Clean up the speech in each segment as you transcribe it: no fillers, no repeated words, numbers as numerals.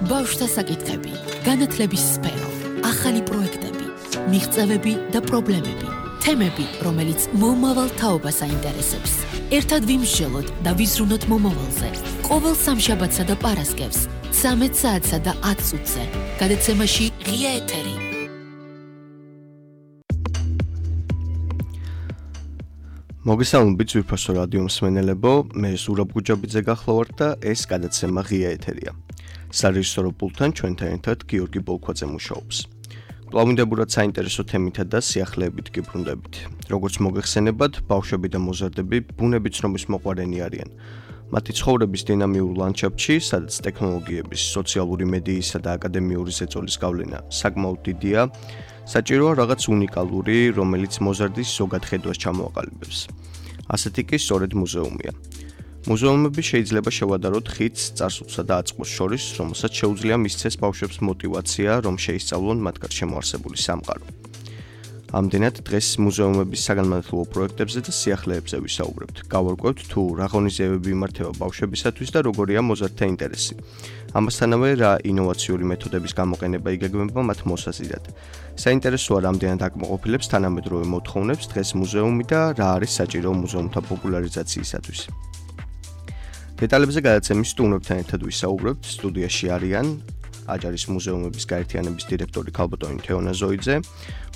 ბავშვთა საკითხები, განათლების სფერო, ახალი პროექტები, მიღწევები და პრობლემები, თემები, რომელიც მომავალ თაობას აინტერესებს. ერთად ვიმსჯელოთ და ვიზრუნოთ მომავალზე. ყოველ სამშაბათსა და პარასკევს, 13 საათსა და 10 წუთზე. გადაცემაში ღია ეთერი. მოგესალმებით ძვირფასო რადიო მსმენელებო, მე ზურაბ გუჯაბიძე გახლავართ და ეს გადაცემა ღია ეთერია. სარეჟისორო პულტთან ჩვენთან ერთად გიორგი ბოლქვაძე მუშაობს. კვლავინდებურად საინტერესო თემითა და სიახლეებით გიბრუნდებით. როგორც მოგეხსენებათ, ბავშვები და მოზარდები ბუნების ცნობის მოყვარენი არიან. მათი ცხოვრების დინამიურ ლანდშაფტში, სადაც ტექნოლოგიების, სოციალური მედიისა და აკადემიური ზეწოლის გავლენა საკმაოდ დიდია, საჭიროა რაღაც უნიკალური, რომელიც მოზარდის ზოგად ხედვას ჩამოაყალიბებს. ასეთი კი სწორედ მუზეუმია. მუზეუმები შეიძლება შევადაროთ ხიდს, წარსულსა და აწმყოს შორის, რომელსაც შეუძლია მისცეს ბავშვებს მოტივაცია, რომ შეისწავლონ მათ გარშემო არსებული სამყარო. ამდენად დღეს მუზეუმების საგანმანათლებლო პროექტებზე და სიახლეებზე ვისაუბრებთ. გავარკვევთ თუ რა ღონისძიებები იმართება ბავშვებისათვის და როგორია მოზარდთა ინტერესი. ამასთანავე რა ინოვაციური მეთოდების გამოყენება იგეგმება მათ მოსაზიდად. საინტერესოა რამდენად აკმაყოფილებს თანამედროვე მოთხოვნებს დღეს მუზეუმი და რა არის საჭირო მუზეუმთა პოპულარიზაციისათვის. დეტალებზე გადაცემის სტუმრებთან ერთად ვისაუბრებთ. სტუდიაში არიან აჯარის მუზეუმების გაერთიანების დირექტორი ქალბატონი თეონა ზოიძე,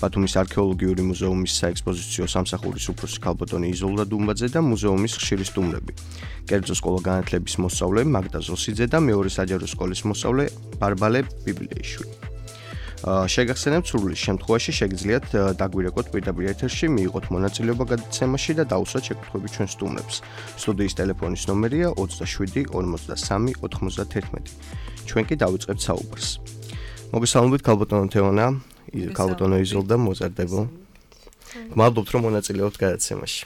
ბათუმის არქეოლოგიური მუზეუმის საექსპოზიციო სამსახურის უფროსი ქალბატონი იზოლდა დუმბაძე და მუზეუმის ხშირი სტუმრები. კერძო სკოლა განათლების მოსწავლე მაგდა ზოსიძე და მეორე საჯარო სკოლის მოსწავლე ბარბალე ბიბლიეიშვილი. შეგახსენებთ, სურვილის შემთხვევაში შეგიძლიათ დაგვირეკოთ პირდაპირ ეთერში, მიიღოთ მონაწილეობა გადაცემაში და დაუსვათ შეკითხვები ჩვენ სტუმრებს. სტუდიის ტელეფონის ნომერია 27 43 91. ჩვენ კი დავიწყებთ საუბარს. მოგესალმებით ქალბატონო თეონა, ქალბატონო იზოლდა, მოზარდებო. გმადლობთ რომ მონაწილეობთ გადაცემაში.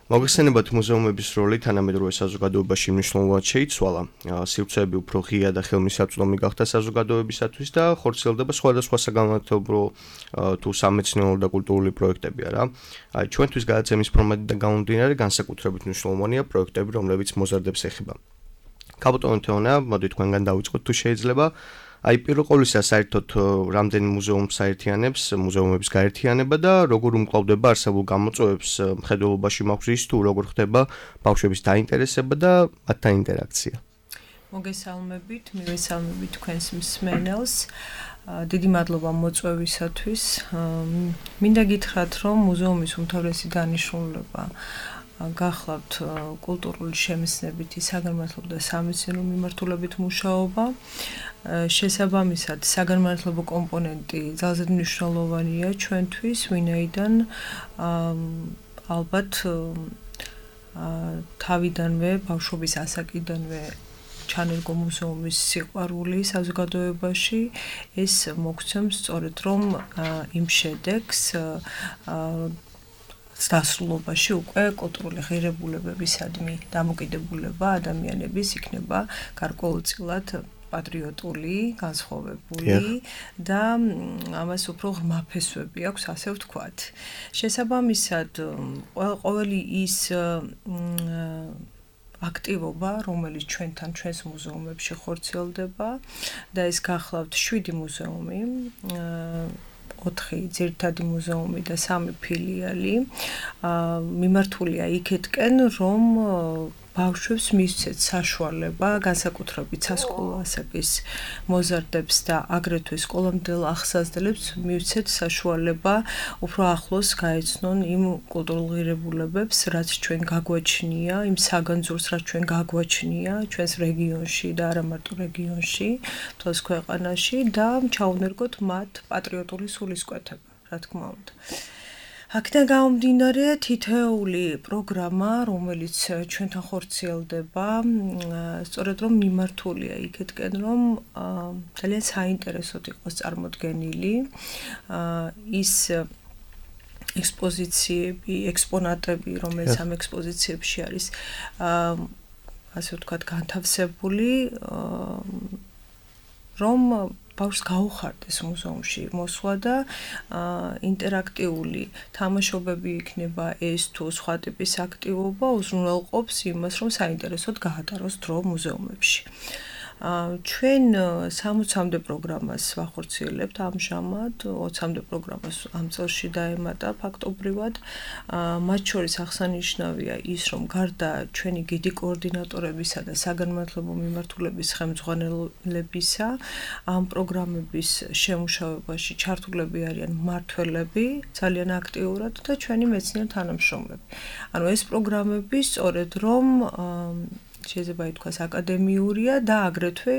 მოგეხსენებათ, მუზეუმების როლი თანამედროვე საზოგადოებაში მნიშვნელოვნად შეიცვალა. სივრცეები უფრო ღია და ხელმისაწვდომი გახდა საზოგადოებისათვის და ხორციელდება სხვადასხვა საგანმანათლებლო თუ სამეცნიერო და კულტურული პროექტები არა. ჩვენთვის გადაცემის ფორმატიდან გამომდინარე განსაკუთრებით მნიშვნელოვანია პროექტები, რომლებიც მოზარდებს ეხება. ქალბატონო თეონა, მოდით თქვენგან დავიწყოთ თუ შეიძლება. პირველ ყოვლისა საერთოდ რამდენი მუზეუმს საერთიანებს მუზეუმების გაერთიანება და როგორ უმკლავდება არსებულ გამოწვევებს მხედველობაში მაქვს ის თუ როგორ ხდება ბავშვების დაინტერესება და მათთან ინტერაქცია. მოგესალმებით, მივესალმებით თქვენს მსმენელს. დიდი მადლობა მოწვევისათვის. მინდა გითხრათ, რომ მუზეუმის უმთავრესი დანიშნულება გახლავთ კულტურული შემეცნებითი საგანმანათლებლო და სამეცნიერო მიმართულებით მუშაობა. შესაბამისად, საგანმანათლებლო კომპონენტი ძალზედ მნიშვნელოვანია ჩვენთვის, ვინაიდან ალბათ თავიდანვე, ბავშვობის ასაკიდანვე ჩანერგო მუზეუმის სიყვარული საზოგადოებაში, ეს მოგცემს სწორედ რომ იმ შედეგს დასრულობაში უკვე კულტურული ღირებულებებისადმი დამოკიდებულება ადამიანების იქნება გარკვეულწილად პატრიოტული, განსხვავებული და ამას უფრო ღრმა ფესვები აქვს, ასე ვთქვათ. შესაბამისად, ყოველი ის აქტივობა, რომელიც ჩვენს მუზეუმებში ხორციელდება და ეს გახლავთ 7 მუზეუმი, 4 ძირითადი მუზეუმი და 3 ფილიალი, მიმართულია იქეთკენ, რომ ბავშვებს მისცეთ საშუალება, განსაკუთრებით სასკოლო ასაკის მოზარდებს და აგრეთვე სკოლამდელ ახსაზრდელებს მისცეთ საშუალება უფრო ახლოს გაეცნონ იმ კულტურულ ღირებულებებს, რაც ჩვენ გაგვაჩნია, იმ საგანძურს, რაც ჩვენ გაგვაჩნია ჩვენს რეგიონში და არა მარტო რეგიონში, მთელს ქვეყანაში და ჩაუნერგოთ მათ პატრიოტული სულისკვეთება, რა თქმა უნდა. აქედან გამომდინარე, თითოეული პროგრამა, რომელიც ჩვენთან ხორციელდება, სწორედ რომ მიმართულია იქეთკენ, რომ ძალიან საინტერესოდ იყოს წარმოდგენილი ის ექსპოზიციები, ექსპონატები, რომელიც ამ ექსპოზიციებში არის, ასე ვთქვათ, განთავსებული, რომ ბავშვს გაუხარდეს მუზეუმში მოსვლა და ინტერაქტიული თამაშობები იქნება ეს თუ სხვა ტიპის აქტივობა უზრუნველყოფს იმას, რომ საინტერესოდ გაატაროს დრო მუზეუმებში. ჩვენ 60-მდე პროგრამას ვახორციელებთ ამჟამად, 20-მდე პროგრამას ამ წელში დაემატა ფაქტობრივად. მათ შორის აღსანიშნავია ის, რომ გარდა ჩვენი გიდი კოორდინატორებისა და საგანმანათლებლო მიმართულების ხელმძღვანელებისა, ამ პროგრამების შემუშავებაში ჩართულები არიან მმართველები ძალიან აქტიურად და ჩვენი მეცნიერ თანამშრომლები. ანუ ეს პროგრამები სწორედ რომ შეიძლება ითქვას აკადემიურია და აგრეთვე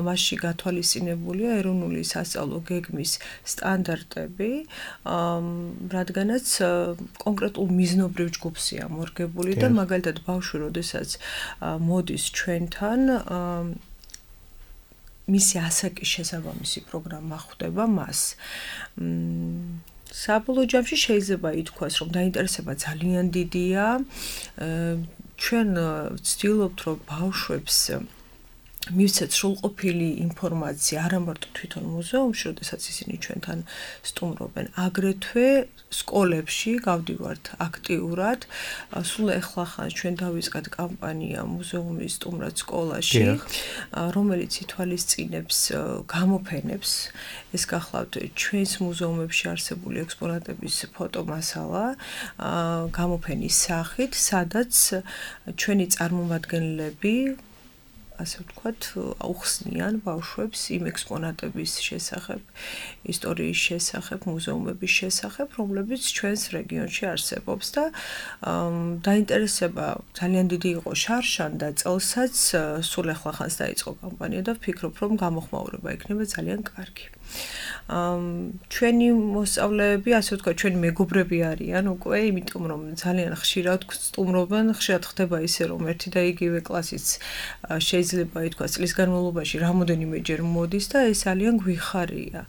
მასში გათვალისწინებულია ეროვნული სასწავლო გეგმის სტანდარტები, რადგანაც კონკრეტულ მიზნობრივ ჯგუფია მორგებული და მაგალითად ბავშვი, როდესაც მოდის ჩვენთან, მისი ასაკის შესაბამისი პროგრამა ხვდება მას. საბოლოო ჯამში შეიძლება ითქვას, რომ დაინტერესება ძალიან დიდია. ჩვენ ვცდილობთ, რომ ბავშვებს მივცეთ სრულყოფილი ინფორმაცია არა მარტო თვითონ მუზეუმში, როდესაც ისინი ჩვენთან სტუმრობენ, აგრეთვე სკოლებში გავდივართ აქტიურად. სულ ახლახან ჩვენ დავიწყეთ კამპანია მუზეუმის სტუმრად სკოლაში, რომელიც ითვალისწინებს გამოფენებს. ეს გახლავთ ჩვენს მუზეუმებში არსებული ექსპონატების ფოტომასალა გამოფენის სახით, სადაც ჩვენი წარმომადგენლები ასე ვთქვათ, აუხსნიან ბავშვებს იმ ექსპონატების შესახებ, ისტორიის შესახებ, მუზეუმების შესახებ, რომლებიც ჩვენს რეგიონში არსებობს და დაინტერესება ძალიან დიდი იყო შარშან და წელსაც სულ ახლახანს დაიწყო კამპანია და ვფიქრობ, რომ გამოხმაურება იქნება ძალიან კარგი. ჩვენი მოსწავლეები, ასე ვთქვათ, ჩვენი მეგობრები არიან უკვე, იმიტომ რომ ძალიან ხშირად სტუმრობენ, ხშირად ხდება ისე, რომ ერთი და იგივე კლასიც შეიძლება ითქვას წლის განმავლობაში რამოდენიმეჯერ მოდის და ეს ძალიან გვიხარია.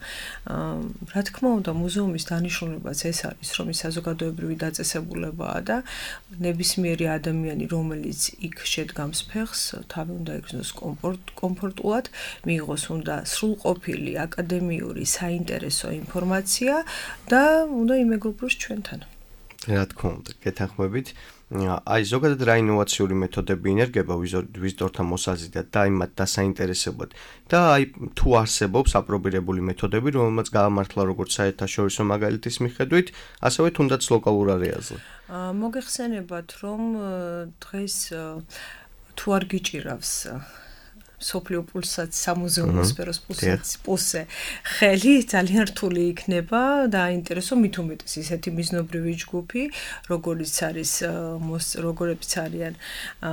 რა თქმა უნდა, მუზეუმის დანიშნულებაც ეს არის, რომ ის საზოგადოებრივი დაწესებულებაა და ნებისმიერი ადამიანი, რომელიც იქ შედგამს ფეხს, თავი უნდა იგრძნოს კომფორტულად, მიიღოს უნდა სრულყოფილი აკადემიური საინტერესო ინფორმაცია და უნდა იმეგობროს ჩვენთან. რა თქმა უნდა, გეთანხმებით. აი ზოგადად რა ინოვაციური მეთოდები ინერგება ვიზიტორთა მოსაზიდად და იმათ დასაინტერესებლად და აი თუ არსებობს აპრობირებული მეთოდები, რომელმაც გაამართლა როგორც საერთაშორისო მაგალითის მიხედვით, ასევე თუნდაც ლოკალურ არეალზე. მოგეხსენებათ, რომ დღეს თუ არ გიჭირავს სოფლიო პულსად სამუზეუმო სფეროს პულსზე ხელი ძალიან რთული იქნება და აინტერესო მით უმეტეს ისეთი მიზნობრივი ჯგუფი, როგორიც არიან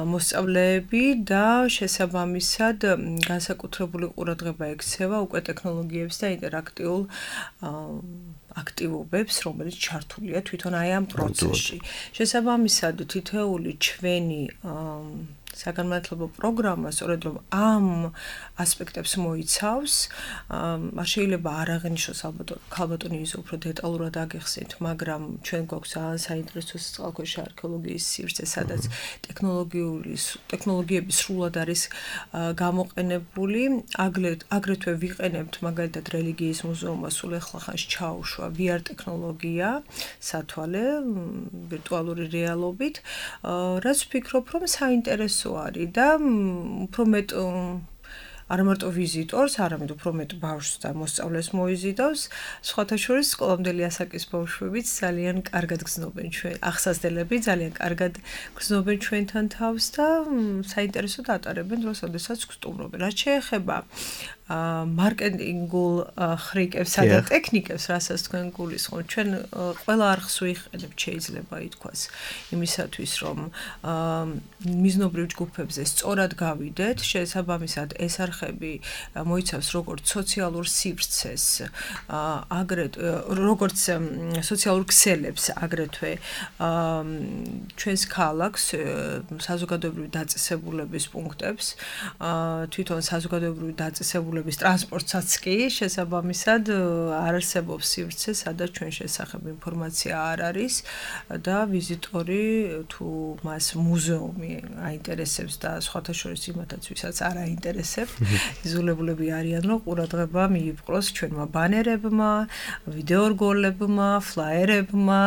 მოსწავლეები და შესაბამისად განსაკუთრებული ყურადღება ექცევა უკვე ტექნოლოგიებს და ინტერაქტიულ აქტივობებს, რომელიც ჩართულია თვითონ აი ამ პროცესში. შესაბამისად თითოეული ჩვენი საგანმანათლებლო პროგრამა სწორედ რომ ამ ასპექტებს მოიცავს, არ შეიძლება არ აღნიშნოს ქალბატონი ის უფრო დეტალურად აგეხსნით, მაგრამ ჩვენ გვაქვს ძალიან საინტერესო წყალქვეშა არქეოლოგიის სივრცე, სადაც ტექნოლოგიები სრულად არის გამოყენებული, აგრეთვე ვიყენებთ მაგალითად რელიგიის მუზეუმმა სულ ახლახანს ჩაუშვა VR ტექნოლოგია, სათვალე, ვირტუალური რეალობით, რაც ვფიქრობ, რომ საინტერესო არის და უფრო მეტ არა მარტო ვიზიტორს, არამედ უფრო მეტ ბავშვს და მოსწავლეს მოიზიდავს. სხვათა შორის სკოლამდელი ასაკის ბავშვებიც ძალიან კარგად გრძნობენ ჩვენ, ახსასდელები ძალიან კარგად გრძნობენ ჩვენთან თავს და საინტერესოდ ატარებენ დროს, როდესაც გსტუმრობენ. რაც შეეხება მარკეტინგულ ხრიკებსა და ტექნიკებს, რასაც თქვენ გულისხმობთ, ჩვენ ყველა არხს ვიყენებთ, შეიძლება ითქვას, იმისათვის, რომ მიზნობრივ ჯგუფებზე სწორად გავიდეთ, შესაბამისად ეს არხები მოიცავს როგორც სოციალურ სივრცეს, როგორც სოციალურ ქსელებს, აგრეთვე ჩვენს ქალაქს, საზოგადოებრივი დაწესებულების პუნქტებს, თვითონ საზოგადოებრივი დაწესებულების ღირებულების ტრანსპორტსაც კი შესაბამისად არ არსებობს სივრცე, სადაც ჩვენ შესახებ ინფორმაცია არ არის და ვიზიტორი თუ მას მუზეუმი აინტერესებს და სხვათა შორის იმათაც ვისაც არ აინტერესებს, იზოლებულები არიან, რომ ყურადღება მიიპყროს ჩვენმა ბანერებმა, ვიდეო რგოლებმა, ფლაიერებმა,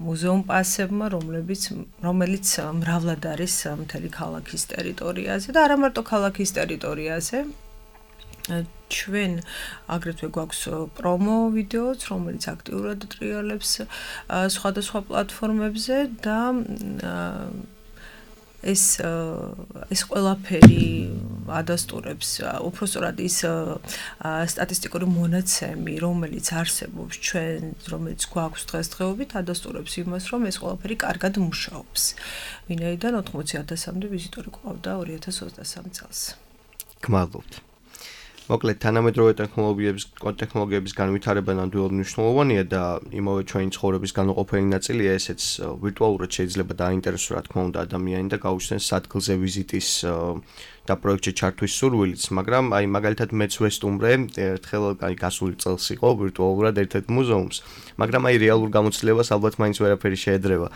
მუზეუმ პასებმა, რომელიც მრავლად არის მთელი ქალაქის ტერიტორიაზე და არა მარტო ქალაქის ტერიტორიაზე. ჩვენ აგრეთვე გვაქვს პრომო ვიდეოც, რომელიც აქტიურად ტრიალებს სხვადასხვა პლატფორმებზე და ეს ყველაფერი ადასტურებს უпростоრად ის სტატისტიკური მონაცემი, რომელიც არსებობს ჩვენ, რომელიც გვაქვს დღესდღეობით, ადასტურებს იმას, რომ ეს ყველაფერი კარგად მუშაობს. ვინაიდან 80,000-მდე ვიზიტორი გვყავდა 2023 წელს. გმადლობთ. მოკლედ თანამედროვე ტექნოლოგიების განვითარება ნამდვილად მნიშვნელოვანია და იმავე ჩვენი ცხოვრების განუყოფელი ნაწილია, ესეც ვირტუალურად შეიძლება დაინტერესოს რა თქმა უნდა ადამიანი და გაუჩნდეს ადგილზე ვიზიტის და პროექტში ჩართვის სურვილიც, მაგრამ აი მაგალითად მეც ვესტუმრე ერთხელ გასული წელს იყო ვირტუალურად ერთ-ერთ მუზეუმს, მაგრამ აი რეალურ გამოცდილებას ალბათ მაინც ვერაფერი შეედრება.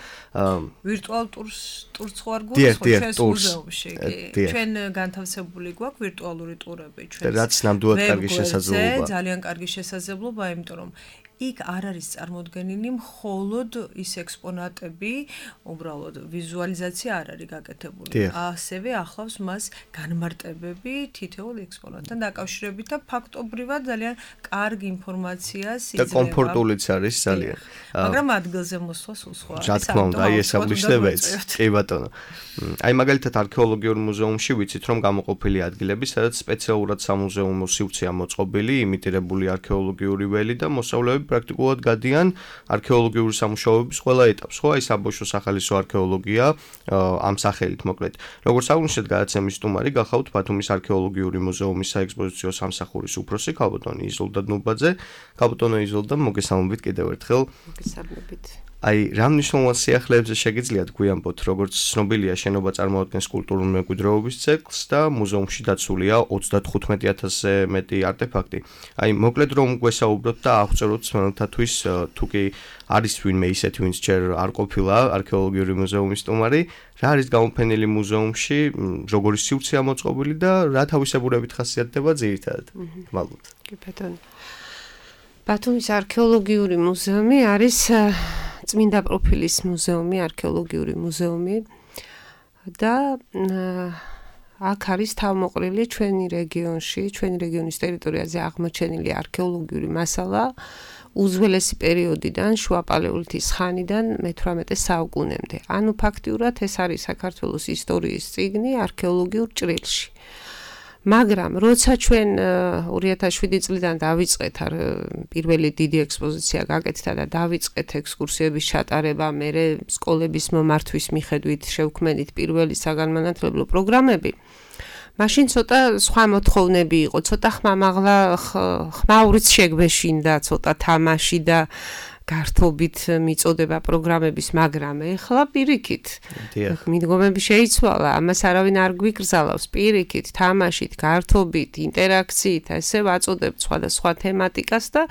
ვირტუალ ტურს ვარ გვაქვს ჩვენს მუზეუმში, კი. ჩვენ განთავსებული გვაქვს ვირტუალური ტურები ჩვენს. რაც ნამდვილად კარგი შესაძლებლობაა. ძალიან კარგი შესაძლებლობაა, იმიტომ რომ იქ არ არის წარმოდგენილი მხოლოდ ის ექსპონატები, უბრალოდ ვიზუალიზაცია არ არის გაკეთებული. ასევე ახლავს მას განმარტებები თითოეულ ექსპონატთან დაკავშირებით და ფაქტობრივად ძალიან კარგი ინფორმაციას იძლევა. და კომფორტულიც არის ძალიან. მაგრამ ადგილზე მოსვლა სულ სხვა არის. რა თქმა უნდა, აი ეს აღნიშნება ეს. კი ბატონო. აი მაგალითად არქეოლოგიურ მუზეუმში ვიცით რომ გამოყოფილი ადგილები, სადაც სპეციალურად სამუზეუმო სივრცეა მოწყობილი, იმიტირებული არქეოლოგიური ველი და მოსწავლეები პრაქტიკულად გადიან არქეოლოგიური სამუშაოების ყველა ეტაპს, ხო? აი საბავშვო სახალისო არქეოლოგია ამ სახელით მოკლედ. როგორც აღნიშნეთ, გადაცემის სტუმარი გახავთ ბათუმის არქეოლოგიური მუზეუმის საექსპოზიციო სამსახურის უფროსი ქალბატონი იზოლდა დნუბაძე. ქალბატონო იზოლდა, მოგესალმებით კიდევ ერთხელ. მოგესალმებით. აი, რა მნიშვნელოვან სიახლეებზე შეგიძლიათ გვიამბოთ, როგორც ცნობილია, შენობა წარმოადგენს კულტურული მემკვიდრეობის ძეგლს და მუზეუმში დაცულია 35,000-ზე მეტი არტეფაქტი. აი, მოკლედ რომ გვესაუბროთ და აღწეროთ მსმენელთათვის, თუ კი არის ვინმე ისეთი, ვინც ჯერ არ ყოფილა არქეოლოგიური მუზეუმის სტუმარი, რა არის გამოფენილი მუზეუმში, როგორი სივრცეა მოწყობილი და რა თავისებურებით ხასიათდება ძირითადად. მადლობთ. კი ბატონო. ბათუმის არქეოლოგიური მუზეუმი არის წმინდა პროფილის მუზეუმი, არქეოლოგიური მუზეუმი და აქ არის თავმოყრილი ჩვენი რეგიონის ტერიტორიაზე აღმოჩენილი არქეოლოგიური მასალა უძველესი პერიოდიდან, შუა პალეოლითის ხანიდან მე-18 საუკუნემდე. ანუ ფაქტიურად ეს არის საქართველოს ისტორიის წიგნი არქეოლოგიურ ჭრილში. მაგრამ როცა ჩვენ 2007 წლიდან დავიწყეთ პირველი დიდი ექსპოზიცია გაკეთდა და დავიწყეთ ექსკურსიების ჩატარება, მერე სკოლების მომართვის მიხედვით შევქმნით პირველი საგანმანათლებლო პროგრამები, მაშინ ცოტა სხვა მოთხოვნები იყო, ცოტა ხმაურიც შეგვეშინდა, ცოტა თამაში და გართობით მიწოდება პროგრამების, მაგრამ ეხლა პირიქით. მიდგომები შეიცვალა, ამას არავინ არ გვიკრძალავს, პირიქით, თამაშით, გართობით, ინტერაქციით, ესე ვაწოდებთ სხვადასხვა თემატიკას და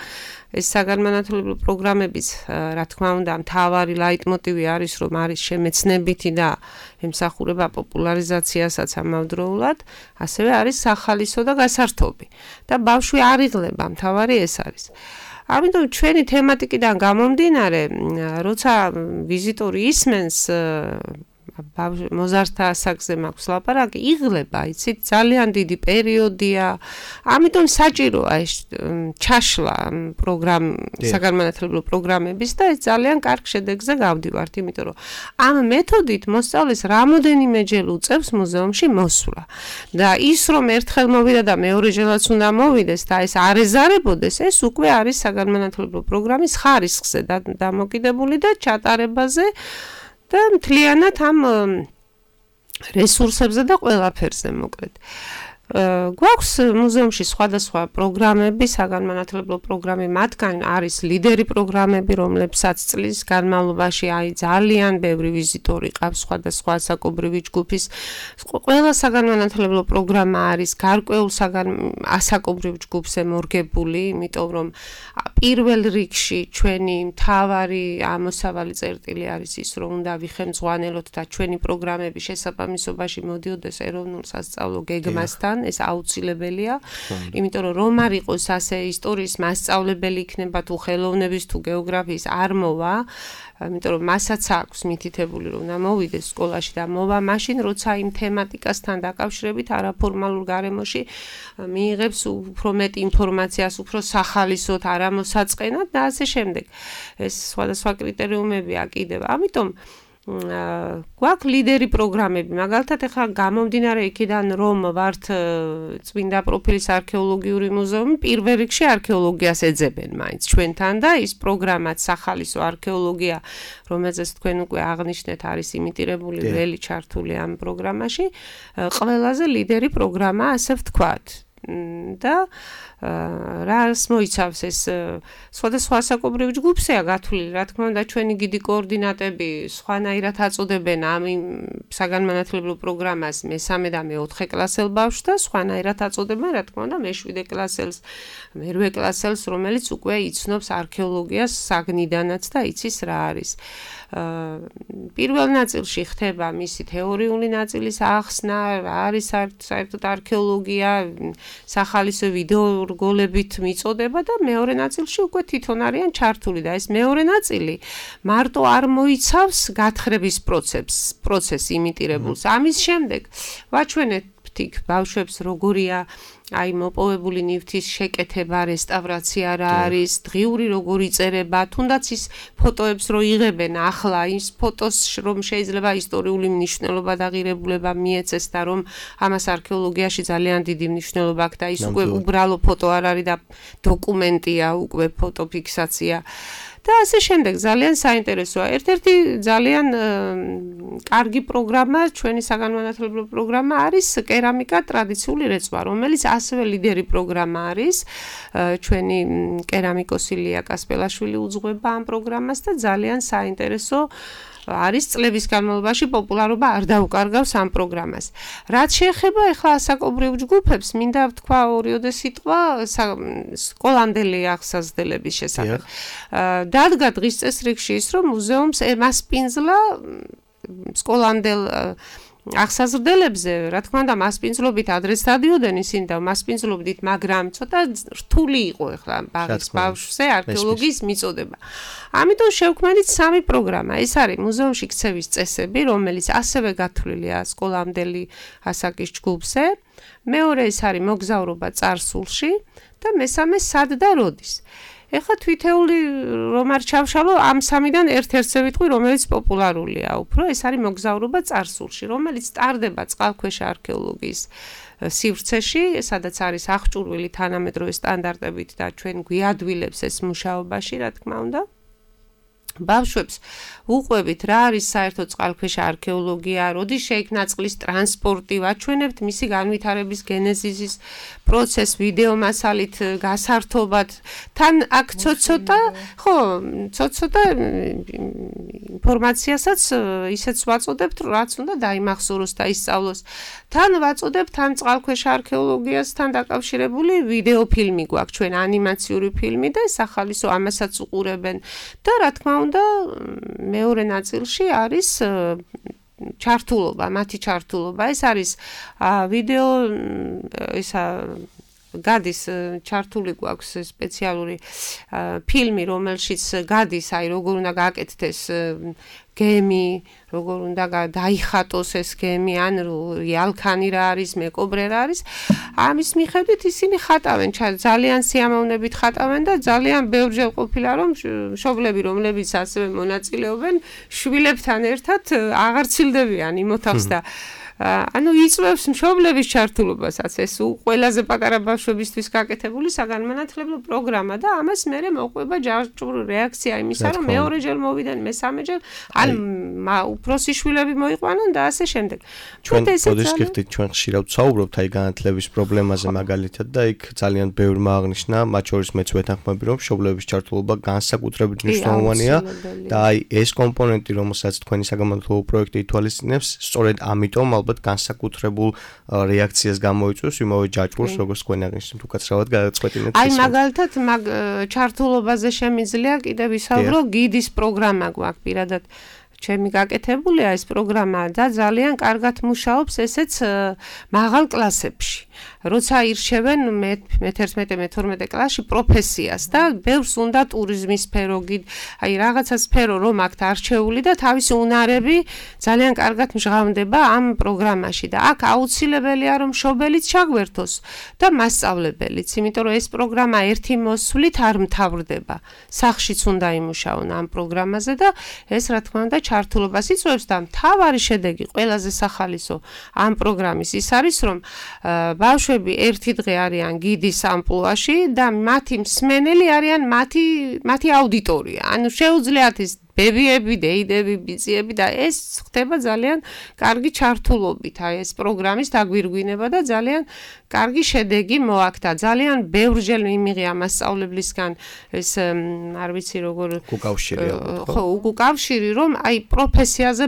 ეს საგანმანათლებლო პროგრამების, რა თქმა უნდა, მთავარი ლაიტმოტივი არის, რომ არის შემეცნებითი და ემსახურება პოპულარიზაციასაც ამავდროულად, ასევე არის სახალისო და გასართობი. და ბავშვი არ იღლება, მთავარი ეს არის. ამიტომ ჩვენი თემატიკიდან გამომდინარე, როცა ვიზიტორი ისმენს მოზარდთა ასაკზე მაქვს ლაპარაკი, იღლება, იცით, ძალიან დიდი პერიოდია. ამიტომ საჭიროა ეს ჩაშლა საგანმანათლებლო პროგრამების და ეს ძალიან კარგ შედეგზე გავდივართ, იმიტომ რომ ამ მეთოდით მოსწავლეს რამოდენიმეჯერ უწევს მუზეუმში მოსვლა. და ის რომ ერთხელ მოვიდა და მეორეჯერაც უნდა მოვიდეს და ეს არ ეზარებოდეს, ეს უკვე არის საგანმანათლებლო პროგრამის ხარისხზე დამოკიდებული და ჩატარებაზე და მთლიანად ამ რესურსებზე და ყველაფერზე მოკლედ. გვაქვს მუზეუმში სხვადასხვა პროგრამები, საგანმანათლებლო პროგრამები, მათგან არის ლიდერი პროგრამები, რომლებსაც წლის განმავლობაში ძალიან ბევრი ვიზიტორი ყავს სხვადასხვა ასაკობრივი ჯგუფის. ყველა საგანმანათლებლო პროგრამა არის გარკვეულ ასაკობრივ ჯგუფზე მორგებული, იმიტომ რომ პირველ რიგში ჩვენი მთავარი ამოსავალი წერტილი არის ის, რომ უნდა ვიხელმძღვანელოთ და ჩვენი პროგრამები შესაბამისობაში მოდიოდეს ეროვნულ სასწავლო გეგმასთან. ეს აუცილებელია, იმიტომ რომ არ იყოს ასე ისტორიის მასწავლებელი იქნება თუ ხელოვნების თუ გეოგრაფიის არ მოვა, იმიტომ რომ მასაც აქვს მითითებული რომ უნდა მოვიდეს სკოლაში და მოვა მაშინ როცა იმ თემატიკასთან დაკავშირებით არაფორმალურ გარემოში მიიღებს უფრო მეტ ინფორმაციას, უფრო სახალისოდ, არამოსაწყენად და ასე შემდეგ. ეს სხვადასხვა კრიტერიუმებია კიდევ. ამიტომ გვაქვს ლიდერი პროგრამები, მაგალითად ახლა გამომდინარე იქიდან რომ ვართ წმინდა პროფილის არქეოლოგიური მუზეუმი, პირველ რიგში არქეოლოგიას ეძებენ მაინც ჩვენთან და ის პროგრამაც სახალისო არქეოლოგია, რომელზეც თქვენ უკვე აღნიშნეთ, არის იმიტირებული ველი ჩართული ამ პროგრამაში, ყველაზე ლიდერი პროგრამა, ასე ვთქვათ. და რას მოიცავს ეს სხვადასხვა ასაკობრივ ჯგუფზეა გათვლილი, რა თქმა უნდა, ჩვენი გიდი კოორდინატები სხვანაირად აწოდებენ ამ საგანმანათლებლო პროგრამას მე-3 და მე-4 კლასელ ბავშვს და სხვანაირად აწოდებენ, რა თქმა უნდა, მე-7 კლასელს, მე-8 კლასელს, რომელიც უკვე იცნობს არქეოლოგიას საგნიდანაც და იცის რა არის. პირველ ნაწილში ხდება მისი თეორიული ნაწილის ახსნა, რა არის საერთოდ არქეოლოგია, სახალისო ვიდეო რგოლებით მიწოდება და მეორე ნაწილში უკვე თვითონ არიან ჩართული და ეს მეორე ნაწილი მარტო არ მოიცავს გათხრების პროცესს იმიტირებულს. ამის შემდეგ ვაჩვენეთ ბავშვებს როგორია აი მოპოვებული ნივთის შეკეთება, რესტავრაცია რა არის, დღიური როგორ იწერება, თუნდაც ის ფოტოებს რო იღებენ ახლა, ის ფოტოს რომ შეიძლება ისტორიული მნიშვნელობა და ღირებულება მიეცეს და რომ ამას არქეოლოგიაში ძალიან დიდი მნიშვნელობა აქვს და ის უკვე უბრალო ფოტო არ არის და დოკუმენტია, უკვე ფოტოფიქსაცია. და ასე შემდეგ ძალიან საინტერესოა. ერთ-ერთი ძალიან კარგი პროგრამა, ჩვენი საგანმანათლებლო პროგრამა არის კერამიკა ტრადიციული რეწვა, რომელიც ასევე ლიდერი პროგრამა არის. ჩვენი კერამიკოსი ლია კასპელაშვილი უძღვება ამ პროგრამას და ძალიან საინტერესო არის წლების განმავლობაში პოპულარობა არ დაუკარგავს ამ პროგრამას. რაც შეეხება ახლა ასაკობრივ ჯგუფებს, მინდა ვთქვა ორიოდე სიტყვა სკოლამდელი აღსაზრდელების შესახებ. დადგა დღის წესრიგში ის, რომ მუზეუმს ემასპინძლა სკოლამდელ აღსაზრდელებზე, რა თქმა უნდა, მასპინძლობით ადრეს დადიოდნენ ისინი და მასპინძლობდით, მაგრამ ცოტა რთული იყო ახლა ბავშვზე არქეოლოგიის მიწოდება. ამიტომ შევქმნით 3 პროგრამა. ეს არის მუზეუმში ქცევის წესები, რომელიც ასევე გათვლილია სკოლამდელი ასაკის ჯგუფზე. მეორე ის არის მოგზაურობა წარსულში და მესამე სად და როდის. ეხლა თვითეული რომ არ ჩავშალო ამ 3-დან ერთ-ერთზე ვიტყვი, რომელიც პოპულარულია უფრო, ეს არის მოგზაურობა წარსულში, რომელიც ტარდება წყალქვეშა არქეოლოგიის სივრცეში, სადაც არის აღჭურვილი თანამედროვე სტანდარტებით და ჩვენ გვიადვილებს ეს მუშაობაში, რა თქმა უნდა. ბავშვებს უყვებით რა არის საერთოდ წყალქვეშა არქეოლოგია, როდის შეიქმნა წყლის ტრანსპორტი, ვაჩვენებთ მისი განვითარების გენეზისის პროცესს ვიდეო მასალით გასართობად. თან აქ ცოტა ინფორმაციასაც ისეც ვაწოდებთ, რაც უნდა დაიმახსოვროს და ისწავლოს. თან ვაწოდებთ ამ წყალქვეშა არქეოლოგიასთან დაკავშირებული ვიდეო ფილმი გვაქვს, ჩვენ ანიმაციური ფილმი და სახალისო ამასაც უყურებენ და რა თქმა უნდა მეორე ნაწილში არის ჩართულობა, მათი ჩართულობა. ეს არის ვიდეო ისა გადის ჩართული გვაქვს სპეციალური ფილმი, რომელშიც გადის აი როგორ უნდა გააკეთდეს გემი, როგორ უნდა დაიხატოს ეს გემი, ან იალქანი რა არის, მეკობრე რა არის. ამის მიხედვით ისინი ხატავენ, ძალიან სიამოვნებით ხატავენ და ძალიან ბევრჯერ ყოფილა რომ მშობლები, რომლებიც ასევე მონაწილეობენ, შვილებთან ერთად აღარ ცილდებიან იმ ოთახს და ანუ იწვევს მშობლების ჩართულობასაც ეს ყველაზე პატარა ბავშვებისთვის გაკეთებული საგანმანათლებლო პროგრამა და ამას მერე მოყვება ჯანმრთელი რეაქცია იმისა, რომ მეორეჯერ მოვიდნენ, მესამეჯერ, ან უფროსი შვილები მოიყვანონ და ასე შემდეგ. ჩვენ პოდის გიხდით ჩვენ ხშირად ვსაუბრობთ აი განათლების პრობლემაზე მაგალითად და იქ ძალიან ბევრმა აღნიშნა, მათ შორის მეც ვეთანხმები, რომ მშობლების ჩართულობა განსაკუთრებით მნიშვნელოვანია და აი ეს კომპონენტი, რომელსაც თქვენი საგანმანათლებლო პროექტი ითვალისწინებს, სწორედ ამიტომ ალბათ განსაკუთრებულ რეაქციას გამოიწვევს იმავე ჯაჭვურს, როგორც თქვენ აღნიშნეთ, უკაცრავად გადაწყვეტინეთ. აი მაგალითად ჩართულობაზე შემიძლია კიდევ ვისაუბრო, გიდის პროგრამა გვაქვს პირადად ჩემი გაკეთებულია ეს პროგრამა და ძალიან კარგად მუშაობს ესეც მაღალ კლასებში. როცა ირჩევენ მე-11-მე-12 კლასში პროფესიას და ბევრს უნდა ტურიზმის სფერო, აი რაღაცა სფერო რომ აქვთ არჩეული და თავისი უნარები ძალიან კარგად მჟღავნდება ამ პროგრამაში და აქ აუცილებელია რომ მშობელიც ჩაგვერთოს და მასწავლებელიც, იმიტომ რომ ეს პროგრამა ერთი მოსვლით არ მთავრდება. სახშიც უნდა იმუშაონ ამ პროგრამაზე და ეს რა თქმა უნდა ჩართულობას იწვევს და მთავარი შედეგი ყველაზე სახალისო ამ პროგრამის ის არის რომ ბავშვები ერთი დღე არიან გიდის ამპლუაში და მათი მსმენელი არიან მათი აუდიტორია. ანუ შეუძლიათ ის ბებიები, დეიდები, ბიძიები და ეს ხდება ძალიან კარგი ჩართულობით. აი ეს პროგრამის დაგვირგვინება და ძალიან კარგი შედეგი მოაქთა. ძალიან ბევრჯერ იმიღია მასწავლებლისგან ეს არ ვიცი როგორ უკავშირი რომ აი პროფესიაზე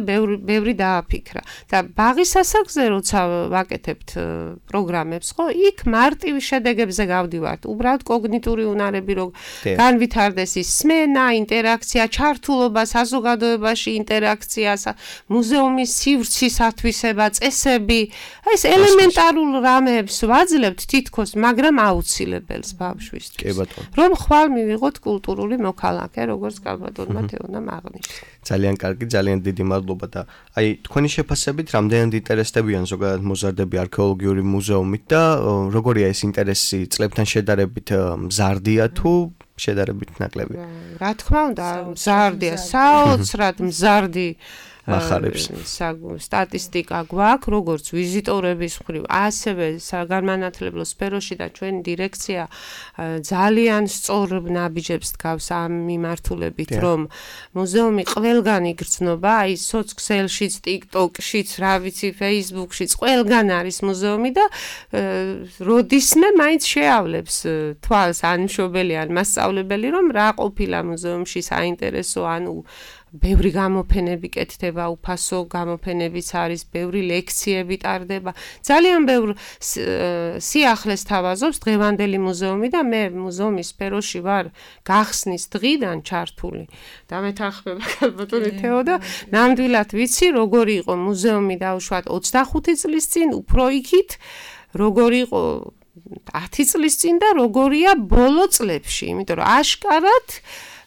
ბევრი დააფიქრა. და ბაღის ასაკზე როცა ვაკეთებთ პროგრამებს, ხო, იქ მარტივ შედეგებზე გავდივართ. უბრალოდ კოგნიტური უნარები რო განვითარდეს ის სმენა, ინტერაქცია, ჩართულობა საზოგადოებაში ინტერაქცია, მუზეუმის სივრცის ათვისება, წესები, ეს ელემენტარულ რამებს ვაძლევთ თითქოს, მაგრამ აუცილებელს ბავშვისთვის. კი ბატონო. რომ ხვალ მივიღოთ კულტურული მოქალაქე, როგორც კალბატონმა თეონამ აღნიშნა. ძალიან კარგი, ძალიან დიდი მადლობა და აი თქვენი შეფასებით რამდენად ინტერესდებიან ზოგადად მოზარდები არქეოლოგიური მუზეუმით და როგორია ეს ინტერესი წლებთან შედარებით მზარდია თუ შედარებით ნაკლები? რა თქმა უნდა, მზარდია, საოცრად მზარდი მახარებს. სტატისტიკა გვაქვს, როგორც ვიზიტორების მხრივ, ასევე საგანმანათლებლო სფეროში და ჩვენი დირექცია ძალიან სწორ ნაბიჯებს დგავს ამ მიმართულებით, რომ მუზეუმი ყველგან იგრძნობა, აი სოციალშიც, TikTok-შიც, რა ვიცი, Facebook-შიც, ყველგან არის მუზეუმი და როდისმე მაინც შეავლებს თვალს ან მშობელი ან მასწავლებელი, რომ რა ყოფილა მუზეუმში საინტერესო, ანუ ბევრი გამოფენები კეთდება, უფასო გამოფენებიც არის, ბევრი ლექციები ტარდება. ძალიან ბევრ სიახლეს თავაზობს დღევანდელი მუზეუმი და მე მუზეუმის სფეროში ვარ გახსნის დღიდან ჩართული. და მეთანხმება კალბატონი თეო და ნამდვილად ვიცი, როგორი იყო მუზეუმი დაუშვათ 25 წლის წინ, უფრო იქით, როგორი იყო 10 წლის წინ და როგორია ბოლო წლებში, იმიტომ რომ აშკარად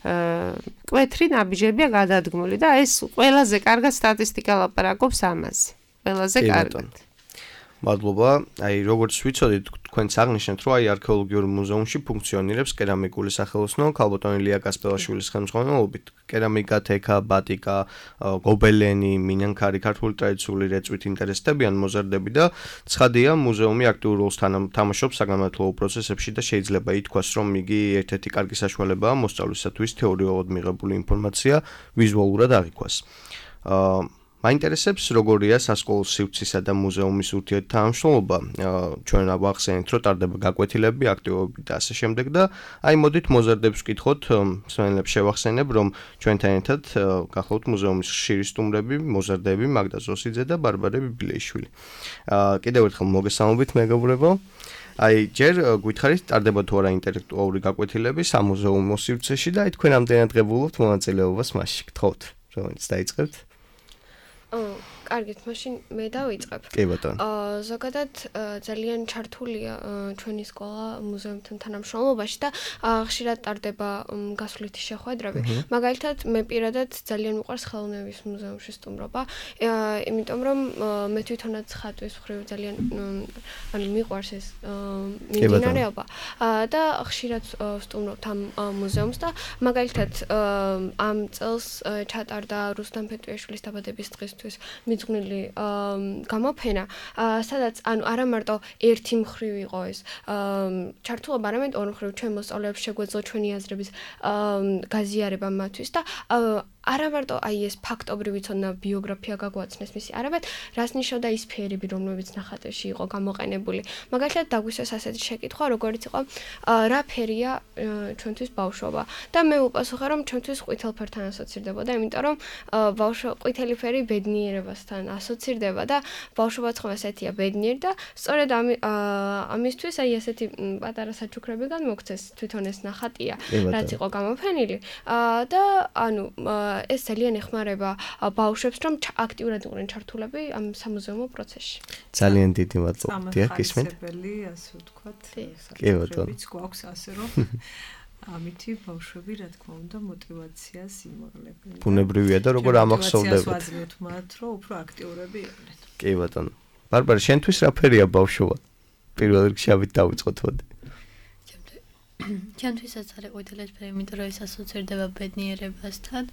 კვეთრი ნაბიჯებია გადადგმული და ეს ყველაზე კარგად სტატისტიკა ლაპარაკობს ამაზე. ყველაზე კარგად. მადლობა. აი როგორც ვიცოდით, თქვენც აღნიშნეთ, რომ აი არქეოლოგიურ მუზეუმში ფუნქციონირებს კერამიკული სახელოსნო კალბატონი ლია კასპელაშვილის ხელმძღვანელობით. კერამიკა, თექა, ბატიკა, გობელენი, მინანქარი, ქართული ტრადიციული რეწვით ინტერესდებიან მოზარდები და ცხადია, მუზეუმი აქტიურ როლს თამაშობს საგანმანათლებლო პროცესებში და შეიძლება ითქვას, რომ იგი ერთ-ერთი კარგი საშუალებაა მოსწავლისათვის თეორიულად მიღებული ინფორმაცია ვიზუალურად აღიქვას. მაინტერესებს როგორია სასკოლო სივრცისა და მუზეუმის ურთიერთთანამშრომლობა. ჩვენ ვახსენეთ, რომ ტარდება გაკვეთილები, აქტივობები და ასე შემდეგ და აი მოდით მოზარდებს ვკითხოთ, მსმენელებს შევახსენებ, რომ ჩვენთან ერთად გახლავთ მუზეუმის ხშირი სტუმრები, მოზარდები მაგდა ზოსიძე და ბარბარე ბიბილეიშვილი. კიდევ ერთხელ მოგესალმებით მეგობრებო. აი ჯერ გითხარით, ტარდება თუ არა ინტელექტუალური გაკვეთილები სამუზეუმო სივრცეში და აი თქვენ ამდენად ღებულობთ მონაწილეობას მასში. გთხოვთ, რომელიც დაიწყებთ. კარგით, მაშინ მე დავიწყებ. კი ბატონო. ზოგადად ძალიან ჩართულია ჩვენი სკოლა მუზეუმთან თანამშრომლობაში და ხშირად ტარდება გასვლითი შეხვედრები. მაგალითად, მე პირადად ძალიან მიყვარს ხელოვნების მუზეუმში სტუმრობა, იმიტომ რომ მე თვითონაც ხატვის მხრივ ძალიან ანუ მიყვარს ეს მიმდინარეობა და ხშირად ვსტუმრობთ ამ მუზეუმს და მაგალითად ამ წელს ჩატარდა რუსტამ ფეტვიაშვილის დაბადების დღისთვის მიძღვნილი გამოფენა, სადაც ანუ არა მარტო ერთი მხრივ იყო ეს ჩართულობა, არამედ ორი მხრივ ჩვენ მოსწავლეებს შეგვეძლო ჩვენი აზრების გაზიარება მათთვის და არა მარტო აი ეს ფაქტობრივი ცოდნა ბიოგრაფია გაგვაცნეს მისი, არამედ რას ნიშნავდა ის სფერები, რომლებიც ნახატებში იყო გამოყენებული. მაგალითად დაგვისვეს ასეთი შეკითხვა, როგორც იყო რა ფერია ჩვენთვის ბავშვობა და მე ვუპასუხე, რომ ჩვენთვის ყვითელ ფერთან ასოცირდებოდა, იმიტომ რომ ყვითელი ფერი ბედნიერებასთან ასოცირდება და ბავშვობაც ხომ ასეთია ბედნიერი და სწორედ ამისთვის აი ესეთი პატარა საჩუქრებიდან მოგცეს თვითონ ეს ნახატია, რაც იყო გამოფენილი და ანუ ეს ძალიან ეხმარება ბავშვებს, რომ აქტიურად იყვნენ ჩართულები ამ სამუზეუმო პროცესში. ძალიან დიდი მადლობა. დიახ, ისმენთ. სამხარისებელი, ასე ვთქვათ, კი, გვაქვს ასე რომ ამითი ბავშვები, რა თქმა უნდა, мотиваციას იმაღლებენ. ბუნებრივია და როგორ ამახსოვდებათ. ვაძლევთ მათ, რომ უფრო აქტიურები იყვნენ. კი ბატონო. ბარბარა, შენთვის რა ფერია ბავშვობა? პირველ რიგში ავით დავიწყოთ მოდი. ჩემთვისაც არის ყვითელფერი, იმიტომ რომ ეს ასოცირდება ბედნიერებასთან.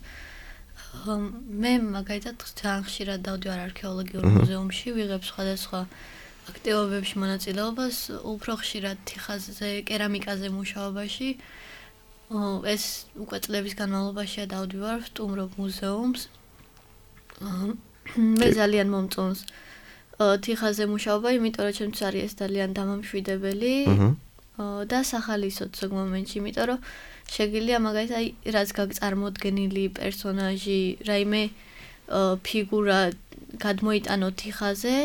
მე მაგალითად ძალიან ხშირად დავდივარ არქეოლოგიურ მუზეუმში, ვიღებ სხვადასხვა აქტივობებში მონაწილეობას, უფრო ხშირად თიხაზე, კერამიკაზე მუშაობაში. ეს უკვე წლების განმავლობაშია დავდივარ, ვსტუმრობ მუზეუმს. მე ძალიან მომწონს თიხაზე მუშაობა, იმიტომ რომ ჩემთვის არის ეს ძალიან დამამშვიდებელი. და სახალისოდ ზოგ მომენტში, იმიტომ რომ შეგიძლია მაგალითად აი რაც გაგწარმოდგენილი პერსონაჟი, რაიმე ფიგურა გადმოიტანო თიხაზე,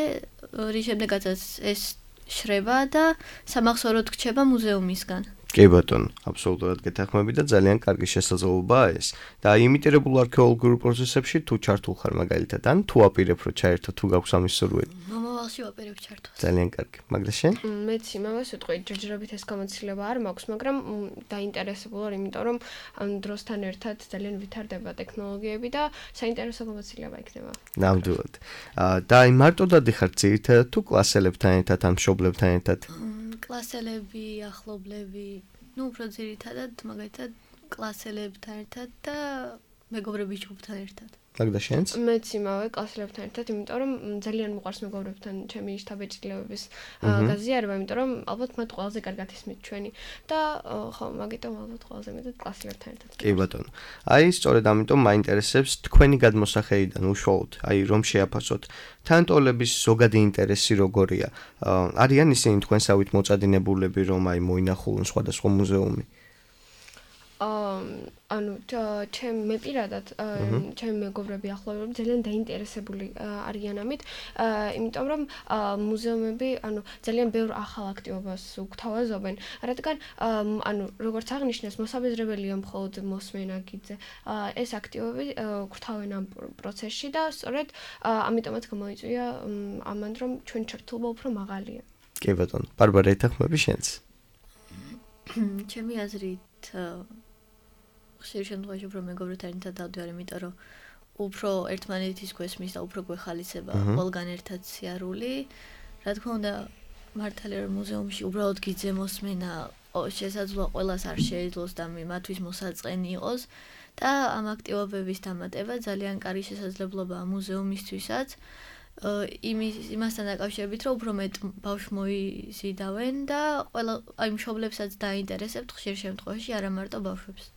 რის შემდეგაც ეს შრება და სამახსოვროდ რჩება მუზეუმისგან. კი ბატონო, აბსოლუტურად გეთანხმები და ძალიან კარგი შესაძლებლობაა ეს. და იმიტირებულ არქეოლოგიურ პროცესებში თუ ჩართულ ხარ მაგალითად, ან თუ აპირებ რომ ჩაერთო, თუ გაქვს ამის სურვილი. მომავალში ვაპირებ ჩართვას. ძალიან კარგი. მაგდა შენ? მეც იმავეს ვიტყვი, ჯერჯერობით ეს გამოცდილება არ მაქვს, მაგრამ დაინტერესებული ვარ, იმიტომ რომ ამ დროსთან ერთად ძალიან ვითარდება ტექნოლოგიები და საინტერესო გამოცდილება იქნება. ნამდვილად. და აი მარტო დადიხარ ძირითადად თუ კლასელებთან ერთად ან მშობლებთან ერთად? კლასელები, ახლობლები, ну, უფრო ძირითადად, მაგალითად, კლასელებთან ერთად და მეგობრების ჯგუფთან ერთად. მაგდა შენც? მეც იმავე კლასელებთან ერთად, იმიტომ რომ ძალიან მიყვარს მეგობრებთან ჩემი შთაბეჭდილებების გაზიარება, იმიტომ რომ ალბათ მათ ყველაზე კარგად ისმით ჩვენი და ხო, მაგიტომ ალბათ ყველაზე მეტად კლასელებთან ერთად. კი ბატონო. აი, სწორედ ამიტომ მაინტერესებს თქვენი გადმოსახედიდან უშუალოდ, აი რომ შეაფასოთ თანტოლების ზოგადი ინტერესი როგორია. არიან ისინი თქვენსავით მოწადინებულები, რომ აი მოინახულონ სხვადასხვა მუზეუმი? ანუ მე პირადად ჩემი მეგობრები ახლობლები ძალიან დაინტერესებული არიან ამით, იმიტომ რომ მუზეუმები ანუ ძალიან ბევრ ახალ აქტივობას უგთავაზობენ, რადგან ანუ როგორც აღნიშნეს, მოსაბეზრებელია მხოლოდ მოსმენა გიძე. ეს აქტივობები გვთავენ ამ პროცესში და სწორედ ამიტომაც გამოიწვია ამან რომ ჩვენი ჩართულობა უფრო მაღალია. კი ბატონო, ბარბარა ეთანხმები შენც? ჩემი აზრით ხშირ შემთხვევაში უფრო მეგობრებთან ერთად დავდივარ, იმიტომ რომ უფრო ერთმანეთის გვესმის და უფრო გვეხალისება ყველგან ერთად სიარული. რა თქმა უნდა, მართალია რომ მუზეუმში უბრალოდ გიძე მოსმენა შესაძლოა ყველას არ შეეძლოს და მათთვის მოსაწყენი იყოს და ამ აქტივობების დამატება ძალიან კარგი შესაძლებლობაა მუზეუმისთვისაც. იმასთან დაკავშირებით, რომ უფრო მეტ ბავშვს მოიზიდავენ და ყველა აი მშობლებსაც დაინტერესებთ ხშირ შემთხვევაში, არა მარტო ბავშვებს.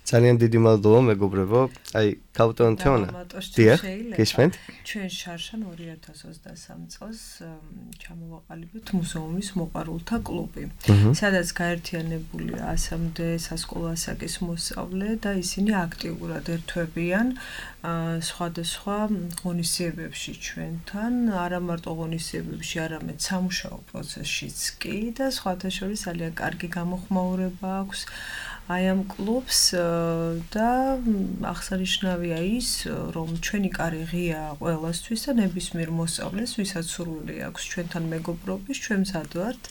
ძალიან დიდი მადლობა მეგობრებო. აი, კაპიტან თეონა. დიახ, გისმენთ? ჩვენ შარშან 2023 წელს ჩამოვაყალიბეთ მუზეუმის მოყვარულთა კლუბი, სადაც გაერთიანებულია 100-მდე სასკოლო ასაკის მოსწავლე და ისინი აქტიურად ერთვებიან სხვადასხვა ღონისძიებებში ჩვენთან, არა მარტო ღონისძიებებში, არამედ სამუშაო პროცესშიც კი და სხვათა შორის ძალიან კარგი გამოხმაურება აქვს აი ამ კლუბს და აღსანიშნავია ის, რომ ჩვენი კარი ღია ყველასთვის და ნებისმიერ მოსწავლეს, ვისაც სურვილი აქვს ჩვენთან მეგობრობის, ჩვენ მზად ვართ,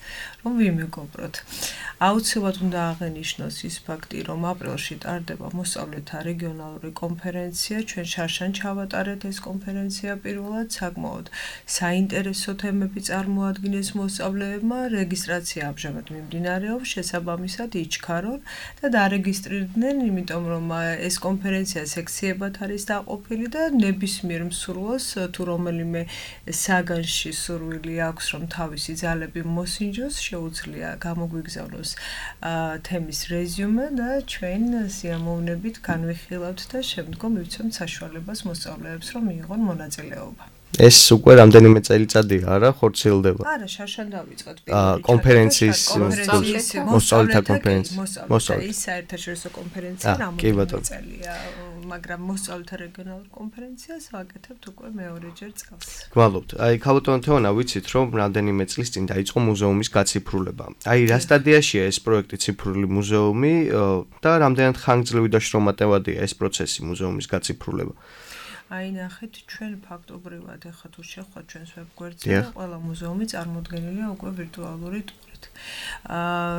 რომ ვიმეგობროთ. აუცილებლად უნდა აღენიშნოს ის ფაქტი, რომ აპრილში ტარდება მოსწავლეთა რეგიონალური კონფერენცია. ჩვენ შარშან ჩავატარეთ ეს კონფერენცია პირველად, საკმაოდ საინტერესო თემები წარმოადგინეს მოსწავლეებმა. რეგისტრაცია ამჟამად მიმდინარეობს, შესაბამისად იჩქარონ და დარეგისტრირდნენ, იმიტომ რომ ეს კონფერენცია სექციებად არის დაყოფილი და ნებისმიერ მსურველს თუ რომელიმე საგანში სურვილი აქვს, რომ თავისი ძალები მოსინჯოს, შეუძლია გამოგვიგზავნოს თემის რეზიუმე და ჩვენ სიამოვნებით განვიხილავთ და შემდგომ მივცემთ საშუალებას მოსწავლეებს, რომ მიიღონ მონაწილეობა. ეს უკვე რამდენიმე წელიწადია, არა, ხორციელდება? არა, შარშან დავიწყეთ კონფერენციის მოსწავლეთა კონფერენცია. ის საერთაშორისო კონფერენცია რამოდენიმე წელია, მაგრამ მოსწავლეთა რეგიონალურ კონფერენციას ვაკეთებთ უკვე მეორეჯერ წელს. გვალობთ. აი, ქალბატონო თეონა, ვიცით, რომ რამდენიმე წლის წინ დაიწყო მუზეუმის გაციფრულება. აი, რა სტადიაშია ეს პროექტი ციფრული მუზეუმი და რამდენად ხანგრძლივი და შრომატევადია ეს პროცესი მუზეუმის გაციფრულება? აი ნახეთ, ჩვენ ფაქტობრივად ახლა თუ შევხვდით ჩვენს ვებგვერდზე, ყველა მუზეუმი წარმოდგენილია უკვე ვირტუალური ტურით.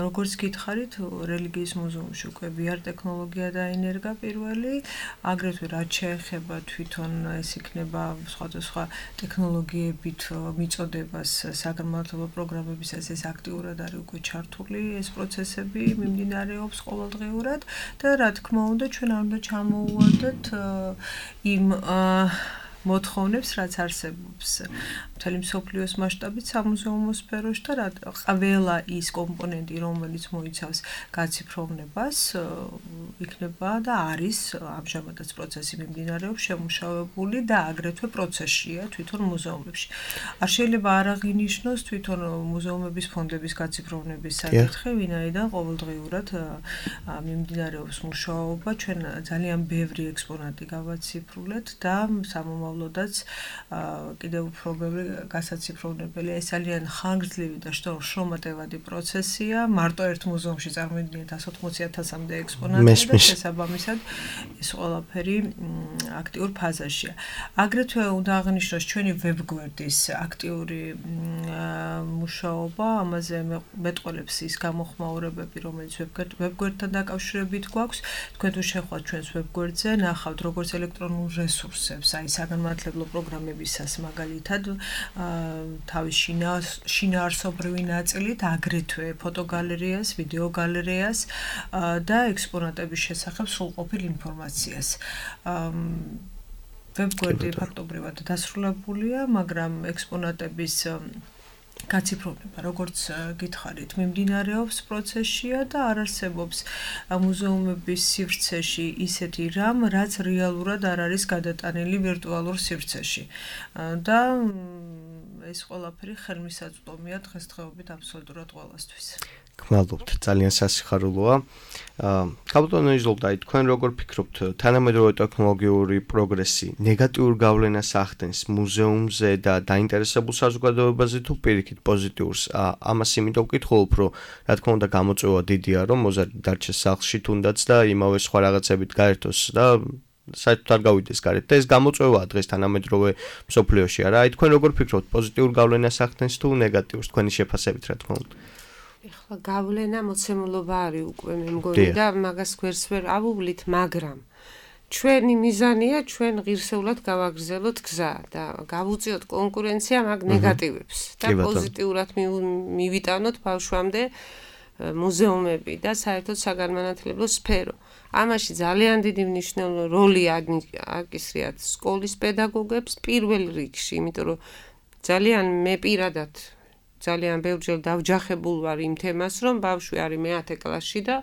როგორც გითხარით, რელიგიის მუზეუმში უკვე VR ტექნოლოგია დაინერგა პირველი, აგრეთვე რაც შეეხება თვითონ ეს იქნება სხვადასხვა ტექნოლოგიებით მიწოდებას საგანმანათლებლო პროგრამებისას ეს აქტიურად არის უკვე ჩართული ეს პროცესები მიმდინარეობს ყოველდღიურად და რა თქმა უნდა ჩვენ არ უნდა ჩამოუვადოთ იმ მოთხოვნებს, რაც არსებობს მთელი მსოფლიოს მასშტაბით სამუზეუმო სფეროში და ყველა ის კომპონენტი, რომელიც მოიცავს გაციფროვნებას, იქნება და არის ამჟამადაც პროცესი მიმდინარეობს შემუშავებული და აგრეთვე პროცესშია თვითონ მუზეუმებში. არ შეიძლება არ აღინიშნოს თვითონ მუზეუმების ფონდების გაციფროვნების საკითხი, ვინაიდან ყოველდღიურად მიმდინარეობს მუშაობა, ჩვენ ძალიან ბევრი ექსპონატი გავაციფრულეთ და სამომავლოდაც კიდევ უფრო ბევრი გასაციფროვნებელია. ეს ძალიან ხანგრძლივი და შრომატევადი პროცესია. მარტო ერთ მუზეუმში წარმოიდგინეთ 180,000-მდე ექსპონატი და შესაბამისად ეს ყველაფერი აქტიურ ფაზაშია. აგრეთვე უნდა აღნიშნოს ჩვენი ვებგვერდის აქტიური მუშაობა, ამაზე მეტყველებს ის გამოხმაურებები, რომელიც ვებგვერდთან დაკავშირებით გვაქვს. თქვენ თუ შევხვდით ჩვენს ვებგვერდზე, ნახავთ როგორც ელექტრონულ რესურსებს, აი საგანმანათლებლო პროგრამებისას მაგალითად თავის შინაარსობრივი ნაწილით, აგრეთვე ფოტოგალერეას, ვიდეოგალერეას და ექსპონატების შესახებ სრულყოფილ ინფორმაციას. ვებგვერდი ფაქტობრივად დასრულებულია, მაგრამ ექსპონატების გაციფროვნება, როგორც გითხარით, მიმდინარეობს პროცესშია და არ არსებობს მუზეუმების სივრცეში ისეთი რამ, რაც რეალურად არ არის გადატანილი ვირტუალურ სივრცეში. და ეს ყველაფერი ხელმისაწვდომია დღესდღეობით აბსოლუტურად ყველასთვის. გმადლობთ, ძალიან სასიხარულოა. ქალბატონო იზოლდა, თქვენ როგორ ფიქრობთ, თანამედროვე ტექნოლოგიური პროგრესი ნეგატიურ გავლენას ახდენს მუზეუმზე და დაინტერესებულ საზოგადოებაზე თუ პირიქით პოზიტიურს? ამას იმიტომ ვკითხულობ, რომ რა თქმა უნდა გამოწვევა დიდია, რომ მოზარდი დარჩეს სახლში თუნდაც და იმავე სხვა რაღაცებით გაერთოს და საერთოდ არ გავიდეს გარეთ და ეს გამოწვევაა დღეს თანამედროვე მსოფლიოში, არა? აი თქვენ როგორ ფიქრობთ, პოზიტიურ გავლენას ახდენს თუ ნეგატიურს თქვენი შეფასებით, რა თქმა უნდა? ეხლა გავლენა მოცემულობა არის უკვე მე მგონი და მაგას გვერდს ვერ ავუვლით, მაგრამ ჩვენი მიზანია ჩვენ ღირსეულად გავაგრძელოთ გზა და გავუწიოთ კონკურენცია მაგ ნეგატივებს და პოზიტიურად მივიტანოთ ბავშვამდე მუზეუმები და საერთოდ საგანმანათლებლო სფერო. ამაში ძალიან დიდი მნიშვნელოვანი როლი აკისრიათ სკოლის პედაგოგებს პირველ რიგში, იმიტომ რომ ძალიან მე პირადად ძალიან ბევრჯერ დავჯახებულ ვარ იმ თემას, რომ ბავშვი არის მე-10 კლასში და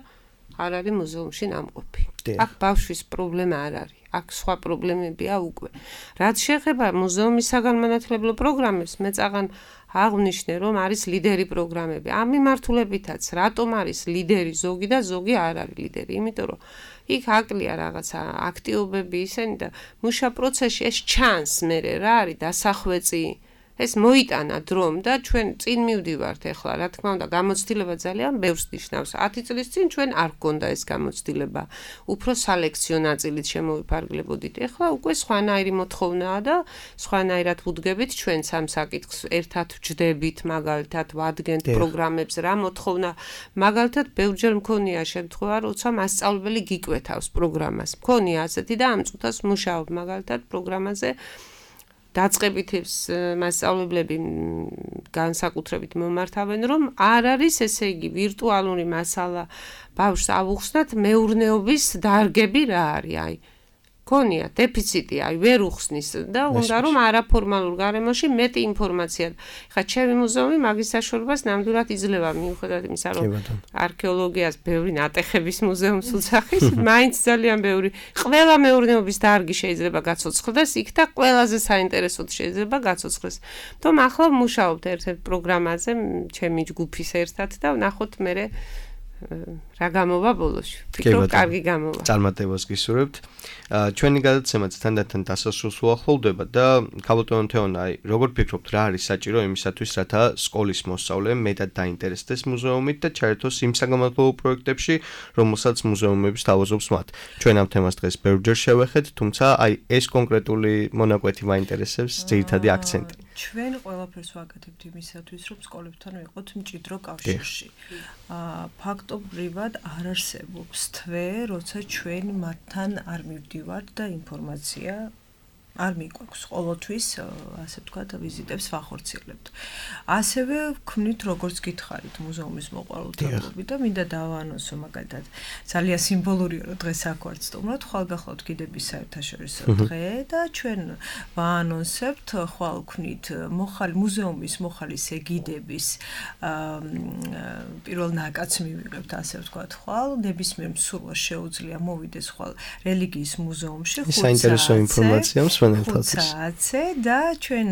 არ არის მუზეუმში ნამყოფი. აქ ბავშვის პრობლემა არ არის, აქ სხვა პრობლემებია უკვე. რაც შეეხება მუზეუმის საგანმანათლებლო პროგრამებს, მე წაღან აღვნიშნე, რომ არის ლიდერი პროგრამები. ამ მიმართულებითაც, რატომ არის ლიდერი ზოგი და ზოგი არ არის ლიდერი? იმიტომ რომ იქ აკლია რაღაცა აქტიობები ისენი და მუშა პროცესში ეს ჩანს მერე რა არის დასახვეწი ეს მოიტანა დრომ და ჩვენ წინ მივდივართ ახლა, რა თქმა უნდა, გამოცდილება ძალიან ბევრს ნიშნავს. 10 წლის წინ ჩვენ არ გქონდა ეს გამოცდილება. უფრო სალექციო ნაწილით შემოვიფარგლებოდით. ახლა უკვე სხვანაირი მოთხოვნაა და სხვანაირად ვუდგებით ჩვენც ამ საკითხს, ერთად ვჯდებით, მაგალითად, ვადგენთ პროგრამებს, რა მოთხოვნა. მაგალითად, ბევრჯერ მქონია შემთხვევა, როცა მასწავლებელი გიკვეთავს პროგრამას. მქონია ასეთი და ამ წუთას მუშაობ მაგალითად პროგრამაზე. დაწყებით მასწავლებლები განსაკუთრებით მომართავენ, რომ არ არის ესე იგი ვირტუალური მასალა ბავშვს ავუხსნათ მეურნეობის დარგები რა არის, აი ქონია დეფიციტი, აი ვერ უხსნის და უნდა რომ არაფორმალურ გარემოში მეტი ინფორმაცია. ხა ჩემი მუზეუმი მაგის საშუალებას ნამდვილად იძლევა მიუხედავად იმისა, რომ არქეოლოგიას ბევრი ნატეხების მუზეუმს უძახის, მაინც ძალიან ბევრი ყველა მეურნეობის დარგი შეიძლება გაცოცხლდეს იქ და ყველაზე საინტერესოდ შეიძლება გაცოცხლდეს. თუმ ახლა ვმუშაობთ ერთ-ერთ პროგრამაზე, ჩემი ჯგუფის ერთად და ვნახოთ მერე რა გამოვა ბოლოში. ვფიქრობ, კარგი გამოვა. წარმატებას გისურვებთ. ჩვენი გადაცემაც თანდათან დასასრულს უახლოვდება და ქალბატონო თეონა, აი, როგორ ფიქრობთ, რა არის საჭირო იმისათვის, რათა სკოლის მოსწავლე მეტად დაინტერესდეს მუზეუმით და ჩაერთოს იმ საგამოძიებო პროექტებში, რომელსაც მუზეუმების თავაზობს მათ. ჩვენ ამ თემას დღეს ბევრჯერ შევეხეთ, თუმცა აი ეს კონკრეტული მონაკვეთი მაინტერესებს, ძირითადი აქცენტი. ჩვენ ყველაფერს ვაკეთებთ იმისათვის, რომ სკოლებთან ვიყოთ მჭიდრო კავშირში. ფაქტობრივად არ არსებობს თვე, როცა ჩვენ მათთან არ მივდივართ და ინფორმაცია არ მიგვაქვს. ყოველთვის, ასე ვთქვათ, ვიზიტებს ვახორციელებთ. ასევე ვქმნით, როგორც გითხარით, მუზეუმის მოყვარულთაობები და მინდა დავაანონსო მაგალითად, ძალიან სიმბოლურია, რომ დღეს აქ ვართ სტუმრად, ხვალ გახლავთ კიდების საერთაშორისო დღე და ჩვენ ვაანონსებთ, ხვალ ვქმნით მუზეუმის მოხალის ეგიდების პირველ ნაკადს მივიღებთ, ასე ვთქვათ, ხვალ ნებისმიერ მსურველს შეუძლია მოვიდეს ხვალ რელიგიის მუზეუმში, საინტერესო ინფორმაცია ხუთსაათზე და ჩვენ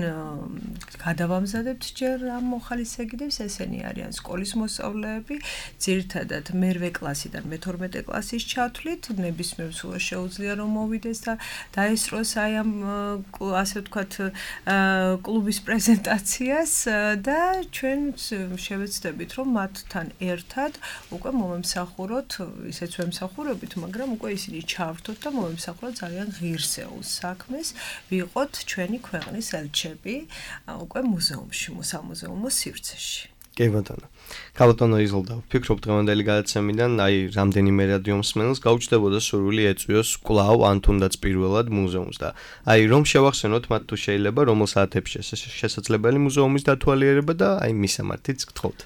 გადავამზადებთ ჯერ ამ მოხალის ეგიდებს, ესენი არიან სკოლის მოსწავლეები, ძირითადად მერვე კლასიდან მე-12 კლასის ჩათვლით, ნებისმიერ მსურველს შეუძლია რომ მოვიდეს და დაესწროს აი ამ ასე ვთქვათ კლუბის პრეზენტაციას და ჩვენ შევეცდებით რომ მათთან ერთად უკვე მომემსახუროთ, ისეც ვემსახურებით, მაგრამ უკვე ისინი ჩავრთოთ და მომემსახუროთ ძალიან ღირსეულ საქმეს. ვიყოთ ჩვენი ქვეყნის ელჩები უკვე მუზეუმში, სამუზეუმო სივრცეში. კი ბატონო. ქალბატონო იზოლდა, ვფიქრობ დღევანდელი გადაცემიდან, აი, რამდენიმე რადიო მსმენელს გაუჩნდებოდა სურვილი ეწვიოს კვლავ ან თუნდაც პირველად მუზეუმს და აი, რომ შევახსენოთ მათ თუ შეიძლება, რომელ საათებში შესაძლებელი მუზეუმის დათვალიერება და აი, მისამართიც გთხოვთ.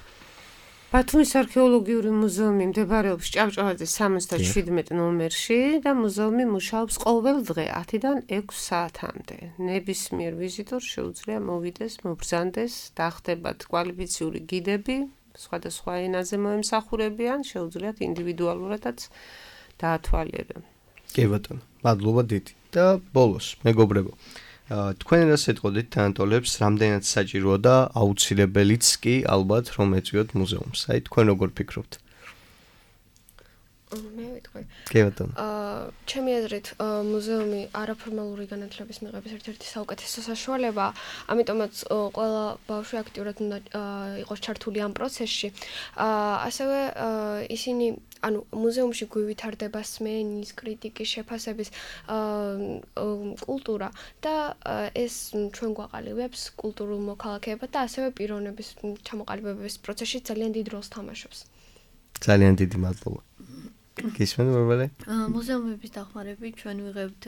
ბათუმის არქეოლოგიური მუზეუმი მდებარეობს ჭავჭავაძის 77 ნომერში და მუზეუმი მუშაობს ყოველ დღე 10-დან 6 საათამდე. ნებისმიერ ვიზიტორს შეუძლია მოვიდეს, მობრძანდეს, დახდებათ კვალიფიციური გიდები, სხვადასხვა ენაზე მოემსახურებიან, შეუძლიათ ინდივიდუალურადაც დაათვალიერონ. კი ბატონო, მადლობა დიდი და ბოლოს, მეგობრებო, თქვენ რას ეტყოდით თანატოლებს, რამდენად საჭიროა და აუცილებელიც კი ალბათ რომ ეწვიოთ მუზეუმს. აი თქვენ როგორ ფიქრობთ? მე ვიტყვი. კი ბატონო. ჩემი აზრით, მუზეუმი არაფორმალური განათლების მიღების ერთ-ერთი საუკეთესო საშუალებაა, ამიტომაც ყველა ბავშვი აქტიურად უნდა იყოს ჩართული ამ პროცესში. ასევე ისინი ანუ მუზეუმში გვითარდება სმენის, კრიტიკის, შეფასების კულტურა და ეს ჩვენ გვაყალიბებს კულტურულ მოქალაქეებად და ასევე პიროვნების ჩამოყალიბების პროცესში ძალიან დიდ როლს თამაშობს. ძალიან დიდი მადლობა. გისმენთ მორბალე? მუზეუმების დახმარებით ჩვენ ვიღებთ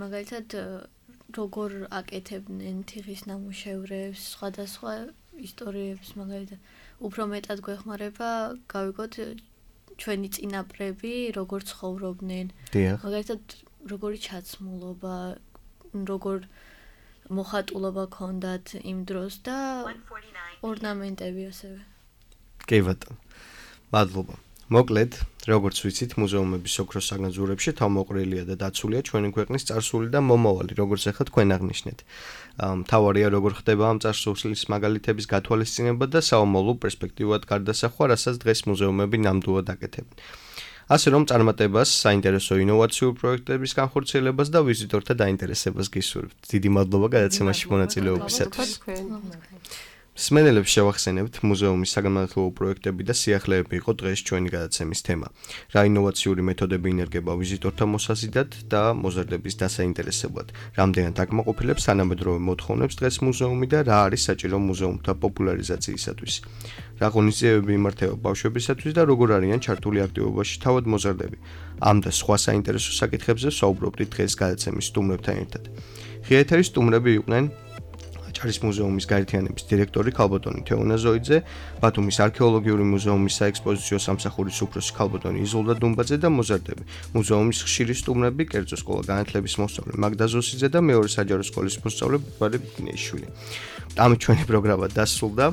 მაგალითად როგორ აკეთებდნენ თიხის ნამუშევრებს, სხვადასხვა ისტორიებს, მაგალითად უფრო მეტად გვეხმარება გავიგოთ ჩვენი წინაპრები როგორ ცხოვრობდნენ. მაგალითად როგორი ჩაცმულობა, როგორ მოხატულობა ქონდათ იმ დროს და ორნამენტები ასევე. კი ბატონო. მადლობა. მოკლედ, როგორც ვიცით, მუზეუმების ოქროს საგანძურებში თავმოყრილია და დაცულია ჩვენი ქვეყნის წარსული და მომავალი, როგორც ახლა თქვენ აღნიშნეთ. მთავარია როგორ ხდება ამ წარსულის მაგალითების გათვალისწინება და საომავლო პერსპექტივად გარდასახვა, რასაც დღეს მუზეუმები ნამდვილად აკეთებენ. ასე რომ წარმატებას, საინტერესო ინოვაციურ პროექტების განხორციელებას და ვიზიტორთა დაინტერესებას გისურვებთ. დიდი მადლობა გადაცემაში მონაწილეობისათვის. მსმენელებს შევახსენებთ, მუზეუმის საგანმანათლებლო პროექტები და სიახლეები იყო დღეს ჩვენი გადაცემის თემა. რა ინოვაციური მეთოდები ინერგება ვიზიტორთა მოსაზიდად და მოზარდების დასაინტერესებლად. რამდენად აკმაყოფილებს თანამედროვე მოთხოვნებს დღეს მუზეუმი და რა არის საჭირო მუზეუმთა პოპულარიზაციისათვის. რა ღონისძიებები იმართება ბავშვებისათვის და როგორ არიან ჩართული აქტივობაში თავად მოზარდები. ამ და სხვა საინტერესო საკითხებზე ვსაუბრობდით დღეს გადაცემის სტუმრებთან ერთად. ღია ეთერის სტუმრები იყვნენ აჭარის მუზეუმის გაერთიანების დირექტორი ქალბატონი თეონა ზოიძე, ბათუმის არქეოლოგიური მუზეუმის საექსპოზიციო სამსახურის უფროსი ქალბატონი იზოლდა დუმბაძე და მოზარდები. მუზეუმის ხშირი სტუმრები, კერძო სკოლა განათლების მოსწავლე მაგდა ზოსიძე და მეორე საჯარო სკოლის მოსწავლე ბარი ბინეიშვილი. ამით ჩვენი პროგრამა დასრულდა.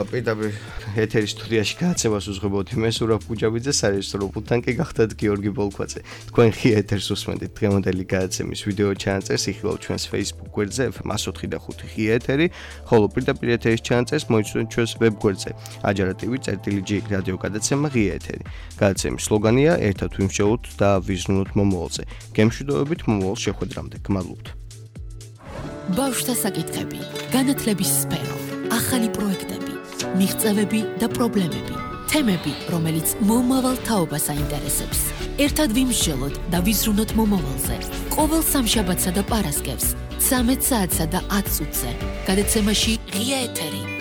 პირდაპირ ეთერის სტუდიაში გადაცემას უძღვებოდი მე სურაბ გუჯაბიძე, სარეჟისორო პულტთან კი გახდათ გიორგი ბოლქვაძე. თქვენ ღია ეთერს უსმენთ დღევანდელი გადაცემის ვიდეო ჩანაწერს იხილავთ ჩვენს Facebook გვერდზე FM104 და 5 ღია ეთერი, ხოლო პირდაპირ ეთერის ჩანაწერს მოიცვენთ ჩვენს ვებ გვერდზე ajara.tv/g რადიო გადაცემა ღია ეთერი. გადაცემის სლოგანია ერთად ვიმსჯელოთ და ვიზრუნოთ მომავალზე. გემშვიდობებით მომავალ შეხვედრამდე. გმადლობთ. ბავშვთა საკითხები, განათლების სფერო, ახალი პროექტები, მიღწევები და პრობლემები, თემები, რომელიც მომავალ თაობას აინტერესებს. ერთად ვიმსჯელოთ და ვიზრუნოთ მომავალზე. ყოველ სამშაბათსა და პარასკევს 13 საათსა და 10 წუთზე. გადაცემაში ღია ეთერი.